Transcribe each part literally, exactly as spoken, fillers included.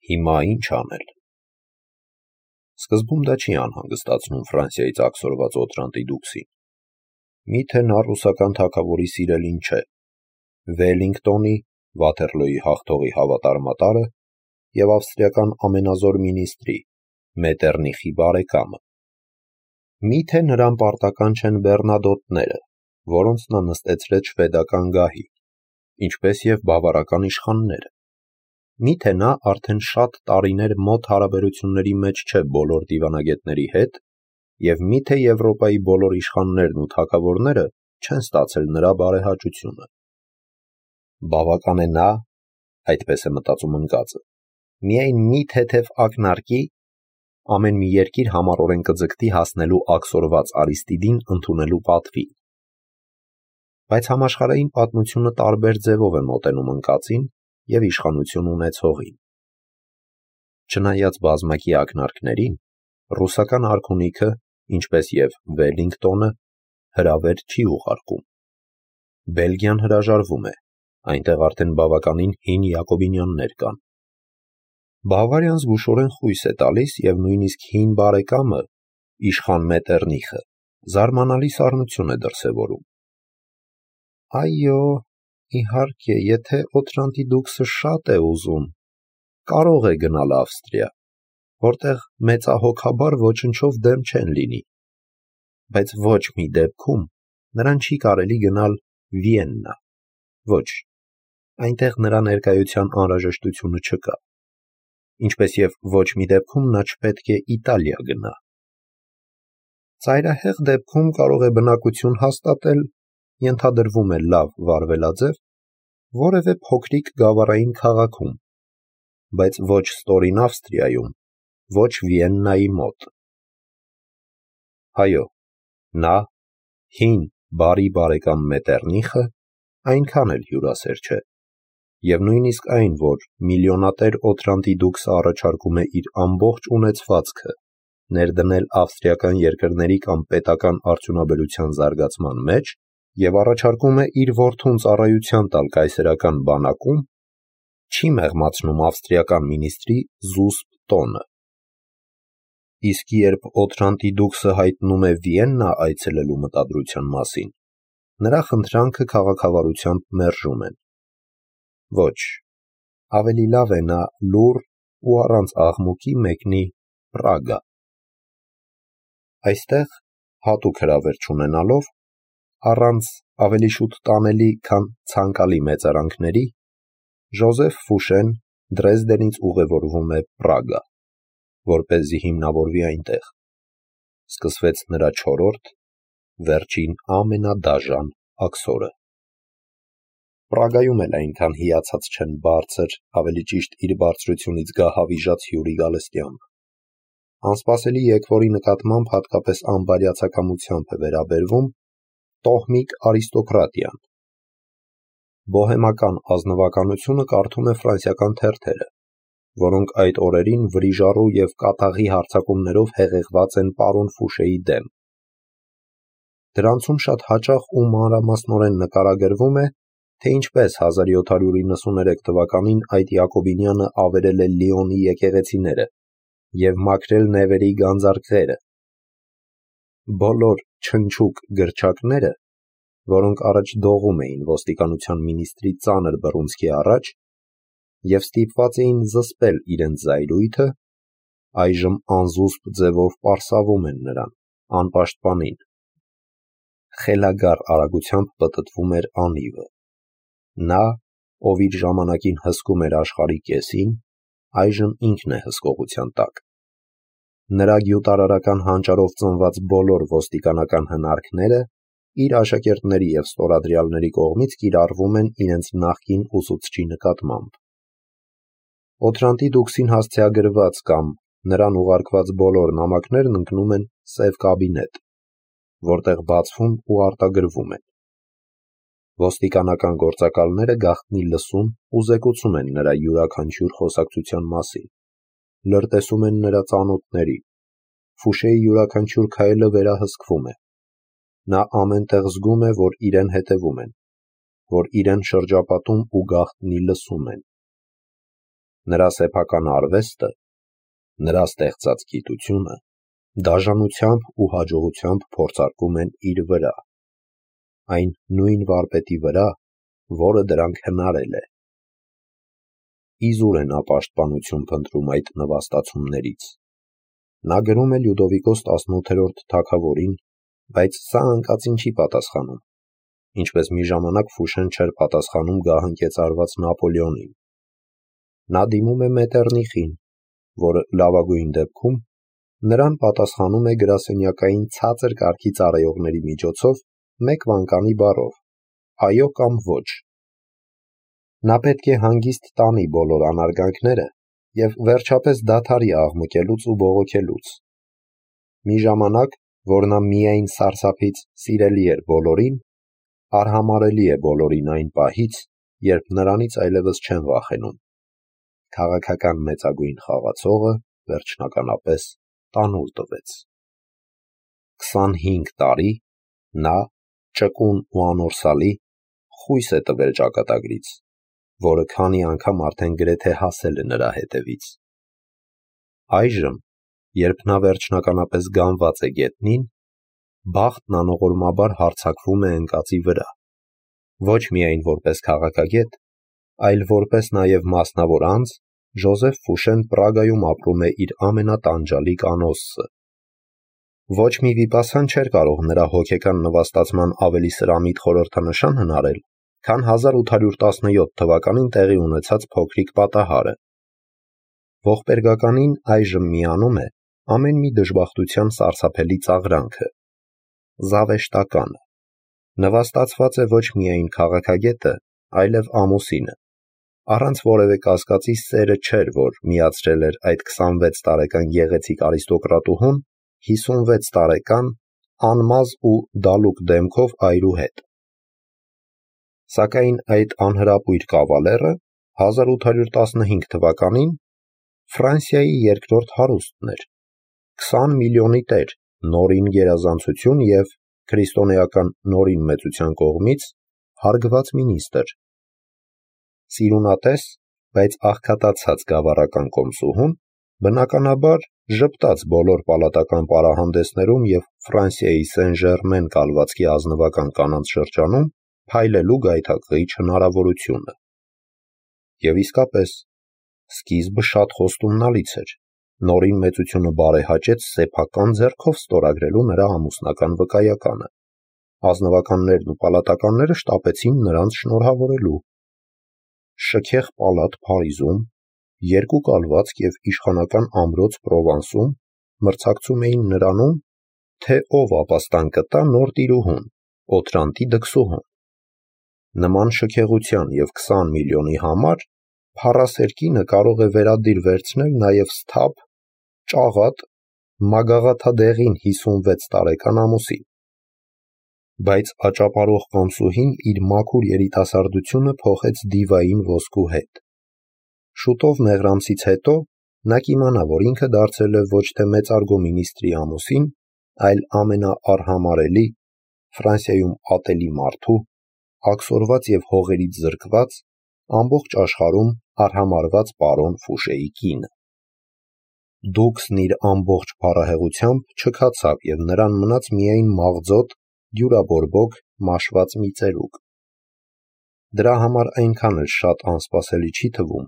Հիմա ի՞նչ անել։ Սկզբում դա չի անհանգստացնում Ֆրանսիայից աքսորված Օտրանտի դուքսին։ Միթե նա ռուսական թագավորի սիրելին չէ, Վելլինգտոնի, Վաթերլոյի հաղթողի հավատարմատարը և ավստրիական ամենազոր մինիստրի, Մետերնիխի բարեկամը։ Միթե նրան պարտական չեն բեռնադոտները, որոնց նա նստեցրեց շվեդական գահի, ինչպես և բավարական իշխանները։ Միթե նա արդեն շատ տարիներ մոտ հարաբերությունների մեջ չէ բոլոր դիվանագետների հետ, և միթե Եվրոպայի բոլոր իշխաններն ու թագավորները չեն ստացել նրա բարեհաճությունը։ Բավական է նա, այդպես է մտածում ընկածը, միայն մի թեթև ակնարկի, ամեն մի երկիր համառորեն կձգտի հասնելու աքսորված Արիստիդին ընդունելու պատվին։ Բայց համաշխարհային պատմությունը տարբեր ձևով է մոտենում ընկածին և իշխանություն ունեցողին։ Չնայած բազմակի ակնարկներին, ռուսական արքունիքը, ինչպես և Վելլինգտոնը, հրավեր չի ուղարկում։ Բելգիան հրաժարվում է, այնտեղ արդեն բավականին հին յակոբինյաններ կան։ Բավարիան զգուշորեն խույս է տալիս և նույնիսկ հին բարեկամը, իշխան Մետերնիխը, զարմանալի սառնություն է դրսևորում։ Այո, իհարկե, եթե Օտրանտի դուքսը շատ է ուզում, կարող է գնալ Ավստրիա, որտեղ մեծահոգաբար ոչնչով դեմ չեն լինի, բայց ոչ մի դեպքում նրան չի կարելի գնալ Վիեննա, ոչ, այնտեղ նրա ներկայության անհրաժեշտությունը չկա, ինչպես և ոչ մի դեպքում նա չպետք է Իտալիա գնա։ Ծայրահեղ դեպքում կարող է բնակություն հաստատել, ենթադրվում է լավ վարվելաձև, որևէ փոքրիկ գավառային քաղաքում, բայց ոչ ստորին Ավստրիայում, ոչ Վիեննայի մոտ։ Այո, նա, հին բարի բարեկամ Մետերնիխը, այնքան էլ հյուրասեր չէ, և նույնիսկ այն, որ միլիոնատեր Օտրանտի դուքսը առաջարկում է իր ամբողջ ունեցվածքը ներդնել ավստրիական երկրների կամ պետական արդյունաբերության զարգացման մեջ և առաջարկում է իր որդուն ծառայության տալ կայսերական բանակում, չի մեղմացնում ավստրիական մինիստրի զուսպ տոնը։ Իսկ երբ Օտրանտի դուքսը հայտնում է Վիեննա այցելելու մտադրության մասին, նրա խնդրանքը քաղաքավարությամբ մերժում են։ Ոչ, ավելի լավ է նա լուռ ու առանց աղմուկի մեկնի Պրագա։ Այստեղ, հատուկ հրավեր չունենալով, առանց ավելի շուտ տանելի, քան ցանկալի մեծարանքների, Ժոզեֆ Ֆուշեն Դրեզդենից ուղևորվում է Պրագա, որպեսզի հիմնավորվի այնտեղ։ Սկսվեց նրա չորրորդ, վերջին ամենադաժան աքսորը։ Պրագայում էլ այնքան հիացած չեն բարձր, ավելի ճիշտ իր բարձրությունից գահավիժած հյուրի գալստյամբ։ Անսպասելի եկվորի նկատմամբ հատկապես անբարյացակամությամբ է վերաբերվում տոհմիկ արիստոկրատիան։ Բոհեմական ազնվականությունը կարդում է ֆրանսիական թերթերը, որոնք այդ օրերին վրիժառու և կատաղի հարձակումներով հեղեղված են պարոն Ֆուշեի դեմ։ Դրանցում շատ հաճախ ու մանրամասնորեն նկարագրվում է, թե ինչպես հազար յոթ հարյուր իննսուներեք թվականին այդ յակոբինյանը ավերել է Լիոնի եկեղեցիները և մաքրել Նևերի գանձարկղերը։ Բոլոր չնչուկ գրչակները, որոնք առաջ դողում էին ոստիկանության մինիստրի ծանր բռունցքի առաջ և ստիպված էին զսպել իրենց զայրույթը, այժմ անզուսպ ձևով պարսավում են նրան, անպաշտպանին։ Խելագար արագությամբ պտտվում էր անիվը։ Նա, ով իր ժամանակին հսկում էր աշխարհի կեսին, այժմ ինքն է հսկողության տակ։ Նրա գյուտարարական հանճարով ծնված բոլոր ոստիկանական հնարքները իր աշակերտների և ստորադրյալների կողմից կիրառվում են իրենց նախկին ուսուցչի նկատմամբ։ Օտրանտի դուքսին հասցեագրված կամ նրան ուղարկված բոլոր նամակներն ընկնում են սև կաբինետ, որտեղ բացվում ու արտագրվում են։ Ոստիկանական գործակալները գաղտնի լսում ու զեկուցում են նրա յուրաքանչյուր խոսակցության մասին, լրտեսում են նրա ծանոթներին, Ֆուշեի յուրաքանչյուր քայլը վերահսկվում է։ Նա ամեն տեղ զգում է, որ իրեն հետևում են, որ իրեն շրջապատում ու գաղտնի լսում են։ նրա սեփական արվեստը, նրա ստեղծած գիտությունը դաժանությամբ ու հաջողությամբ փորձարկում են իր վրա, այն նույն վարպետի վրա, որը դրանք հնարել է։ Իզուր է նա պաշտպանություն փնտրում այդ նվաստացումներից։ Նա գրում է Լյուդովիկոս տասնութերորդ թագավորին, բայց սա անկածին չի պատասխանում, ինչպես մի ժամանակ Ֆուշեն չէր պատասխանում գահընկեց արված Նապոլեոնին։ Նա դիմում է Մետեռնիխին, որը լավագույն դեպքում նրան պատասխանում է գրասենյակային ցածր կարգի ծառայողների միջոցով մեկ վանկանի բառով՝ այո կամ ոչ։ Նա պետք է հանգիստ տանի բոլոր անարգանքները և վերջապես դադարի աղմկելուց ու բողոքելուց։ Մի ժամանակ, որ նա միայն սարսափից սիրելի էր բոլորին, արհամարհելի է բոլորին այն պահից, երբ նրանից այլևս չեն վախենում։ Քաղաքական մեծագույն խաղացողը վերջնականապես տանուլ տվեց։ Քսանհինգ տարի նա, ճկուն ու անորսալի, խույս է տվել ճակատագրից, որը քանի անգամ արդեն գրեթե հասել է նրա հետևից։ Այժմ, երբ նա վերջնականապես գանված է գետնին, բախտն անողորմաբար հարձակվում է ընկածի վրա, ոչ միայն որպես քաղաքագետ, այլ որպես նաև մասնավոր անձ, Ժոզեֆ Ֆուշեն Պրագայում ապրում է իր ամենատանջալիկ անոսսը։ Ոչ մի վիպասան չէր կարող նրա հոգեկան նվաստացման ավելի սրամիտ խորհրդանշան հնարել, քան հազար ութ հարյուր տասնյոթ թվականին տեղի ունեցած փոքրիկ պատահարը։ Ողբերգականին այժմ միանում է ամեն մի դժբախտության սարսափելի ծաղրանքը՝ զավեշտականը։ Նվաստացված է ոչ միայն քաղաքագետը, այլև ամուսինը, առանց որևէ կասկածի սերը չէր, որ միացրել էր այդ քսանվեց տարեկան գեղեցիկ արիստոկրատուհուն հիսունվեց տարեկան անմազ ու դալուկ դեմքով այրու հետ։ Սակայն այդ անհրապույր կավալերը հազար ութ հարյուր տասնհինգ թվականին Ֆրանսիայի երկրորդ հարուստն էր, քսան միլիոնի տեր, նորին գերազանցություն և քրիստոնեական նորին մեծության կողմից հարգված մինիստրը։ Սիրունատես, բայց աղքատացած գավառական կոմսուհուն, բնականաբար ժպտաց բոլոր պալատական պարահանդեսներում և Ֆրանսիայի Սեն-Ժերմեն կալվածքի ազնվական կանանց շրջանում փայլելու գայթակղիչ հնարավորությունը։ Եվ իսկապես, սկիզբը շատ խոստումնալից էր, նորին մեծությունը բարեհաճեց սեփական ձեռքով ստորագրելու նրա ամուսնական վկայականը։ Ազնվականներն ու պալատականները շտապեցին նրանց շնորհավորելու։ Շքեղ պալատ Փարիզում, երկու կալվածք և իշխանական ամրոց Պրովանսում մրցակցում էին նրանում, թե ով ապաստան կտա նոր տիրուհուն, Օթրանտի դքսուհուն։ Նման շքեղության և քսան միլիոնի համար փառասեր կինը կարող է վերադիր վերցնել նաև սթափ, ճաղատ, մագաղաթադեղին հիսունվեց տարեկան ամուսին։ Բայց աճապարող կոմսուհին իր մաքուր երիտասարդությունը փոխեց դիվային ոսկու հետ։ Շուտով մեղրամսից հետո նա կիմանա, որ ինքը դարձել է ոչ թե մեծարգո մինիստրի ամուսին, այլ ամենաարհամարհելի, Ֆրանսիայում ատելի մարդու, աքսորված և հողերից զրկված, ամբողջ աշխարհում արհամարհված պարոն Ֆուշեի կինը։ Դուքսն իր ամբողջ փառահեղությամբ չքացավ և նրան մնաց միայն մաղձոտ, դյուրաբորբոք, մաշված մի ծերուկ։ Դրա համար այնքան էլ շատ անսպասելի չի թվում,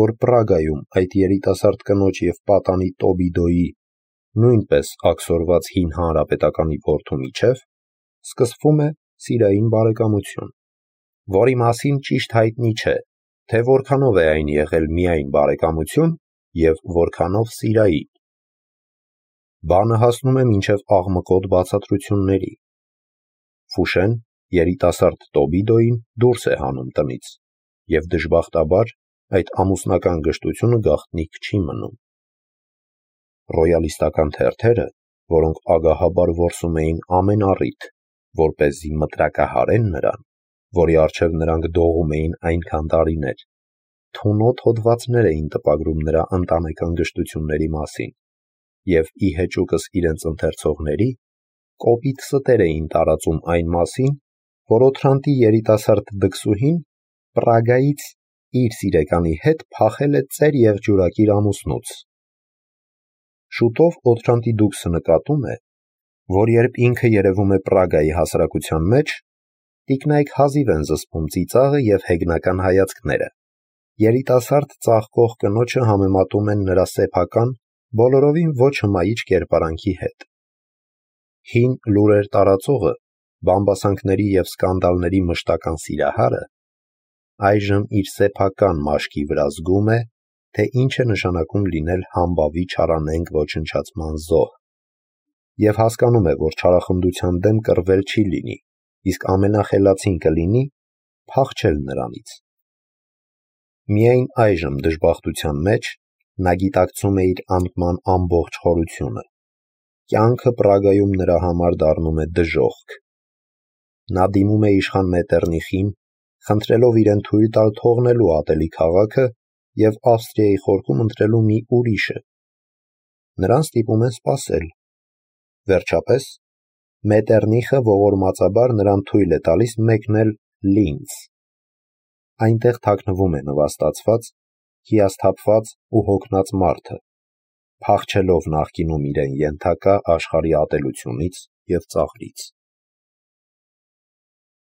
որ Պրագայում այդ երիտասարդ կնոջ և պատանի Տոբիդոյի, նույնպես աքսորված հին հանրապետականի որդու միջև սկսվում է սիրային բարեկամություն, որի մասին ճիշտ հայտնի չէ, թե որքանով է այն եղել միայն բարեկամություն և որքանով սիրային։ Բանը հասնում է մինչև աղմկոտ բացատրությունների։ Ֆուշեն երիտասարդ Տոբիդոյին դուրս է հանում տնից, և դժբախտաբար այդ ամուսնական գժտությունը գաղտնիք չի մնում։ Ռոյալիստական թերթերը, որոնք ագահաբար որսում էին ամեն առիթ, որպեսզի մտրակահարեն նրան, որի առջև նրանք դողում էին այնքան տարիներ, թունոտ հոդվածներ էին տպագրում նրա ընտանեկան գժտությունների մասին, և ի հեճուկս իրենց ընթերցողների, կոպիտ ստեր էին տարածում այն մասին, որ Օթրանտի երիտասարդ դքսուհին Պրագայից իր սիրեկանի հետ փախել է ծեր եղջյուրակիր ամուսնուց։ Շուտով Օթրանտի դուքսը նկատում է, որ երբ ինքը երևում է Պրագայի հասարակության մեջ, տիկնայք հազիվ են զսպում ծիծաղը և հեգնական հայացքները։ Երիտասարդ ծաղկող կնոջը համեմատում են նրա սեփական, բոլորովին ոչ հմայիչ կերպարանքի հետ։ Հին լուրեր տարածողը, բամբասանքների և սկանդալների մշտական սիրահարը, այժմ իր սեփական մաշկի վրա զգում է, թե ինչ է նշանակում լինել համբավի չարանենգ ոչնչացման զոհ, և հասկանում է, որ չարախնդության դեմ կռվել չի լինի, իսկ ամենախելացին կլինի փախչել նրանից։ Միայն այժմ դժբախտության մեջ նա գիտակցում է իր անկման ամբողջ խորությունը։ Կյանքը Պրագայում նրա համար դառնում է դժոխք։ Նա դիմում է իշխան Մետերնիխին, խնդրելով իրեն թույլ տալ թողնելու ատելի քաղաքը և Ավստրիայի խորքում ընտրելու մի ուրիշը։ Նրան ստիպում են սպասել։ Վերջապես, Մետերնիխը ողորմածաբար նրան թույլ է տալիս մեկնել Լինց։ Այնտեղ թաքնվում է նվաստացված, հիասթափված ու հոգնած մարդը, փախչելով նախկինում իրեն ենթակա աշխարհի ատելությունից և ծաղրից։